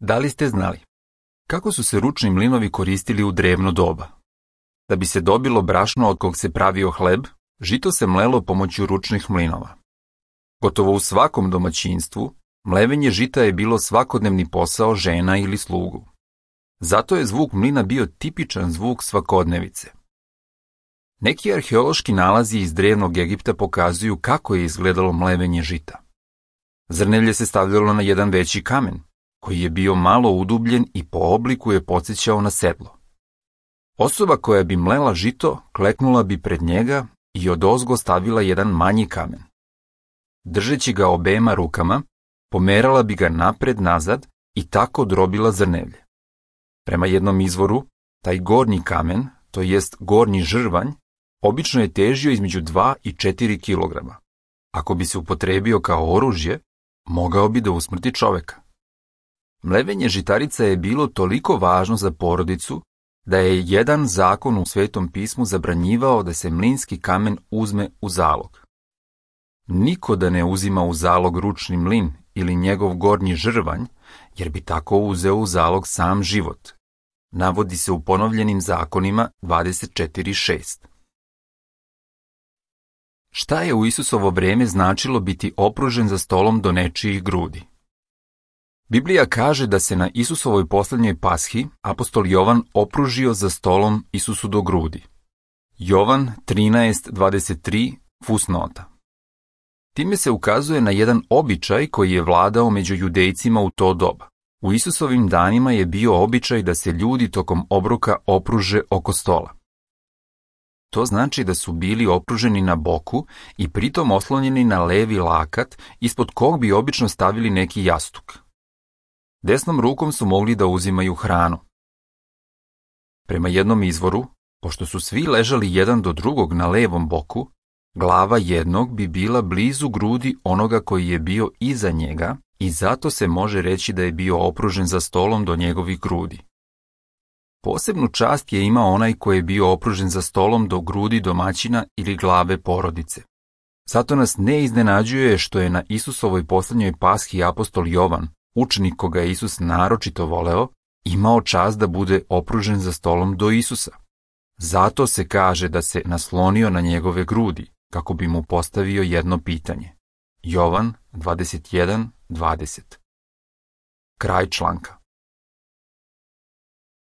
Da li ste znali kako su se ručni mlinovi koristili u drevno doba? Da bi se dobilo brašno od kog se pravio hleb, žito se mlelo pomoću ručnih mlinova. Gotovo u svakom domaćinstvu, mlevenje žita je bilo svakodnevni posao žena ili slugu. Zato je zvuk mlina bio tipičan zvuk svakodnevice. Neki arheološki nalazi iz drevnog Egipta pokazuju kako je izgledalo mlevenje žita. Zrnevlje se stavljalo na jedan veći kamen, koji je bio malo udubljen i po obliku je podsjećao na sedlo. Osoba koja bi mlela žito kleknula bi pred njega i odozgo stavila jedan manji kamen. Držeći ga obema rukama, pomerala bi ga napred-nazad i tako drobila zrnevlje. Prema jednom izvoru, taj gornji kamen, to jest gornji žrvanj, obično je težio između 2 i 4 kilograma. Ako bi se upotrebio kao oružje, mogao bi da usmrti čoveka. Mlevenje žitarica je bilo toliko važno za porodicu da je jedan zakon u Svetom pismu zabranjivao da se mlinski kamen uzme u zalog. Niko da ne uzima u zalog ručni mlin ili njegov gornji žrvanj, jer bi tako uzeo u zalog sam život. Navodi se u ponovljenim zakonima 24.6. Šta je u Isusovo vreme značilo biti opružen za stolom do nečijih grudi? Biblija kaže da se na Isusovoj poslednjoj pashi apostol Jovan opružio za stolom Isusu do grudi. Jovan 13.23 fusnota. Time se ukazuje na jedan običaj koji je vladao među Judejcima u to doba. U Isusovim danima je bio običaj da se ljudi tokom obroka opruže oko stola. To znači da su bili opruženi na boku i pritom oslonjeni na levi lakat, ispod kog bi obično stavili neki jastuk. Desnom rukom su mogli da uzimaju hranu. Prema jednom izvoru, pošto su svi ležali jedan do drugog na levom boku, glava jednog bi bila blizu grudi onoga koji je bio iza njega i zato se može reći da je bio opružen za stolom do njegovih grudi. Posebnu čast je imao onaj koji je bio opružen za stolom do grudi domaćina ili glave porodice. Zato nas ne iznenađuje što je na Isusovoj poslednjoj pashi apostol Jovan, učenik koga je Isus naročito voleo, imao čast da bude opružen za stolom do Isusa. Zato se kaže da se naslonio na njegove grudi, kako bi mu postavio jedno pitanje. Jovan 21.20. Kraj članka.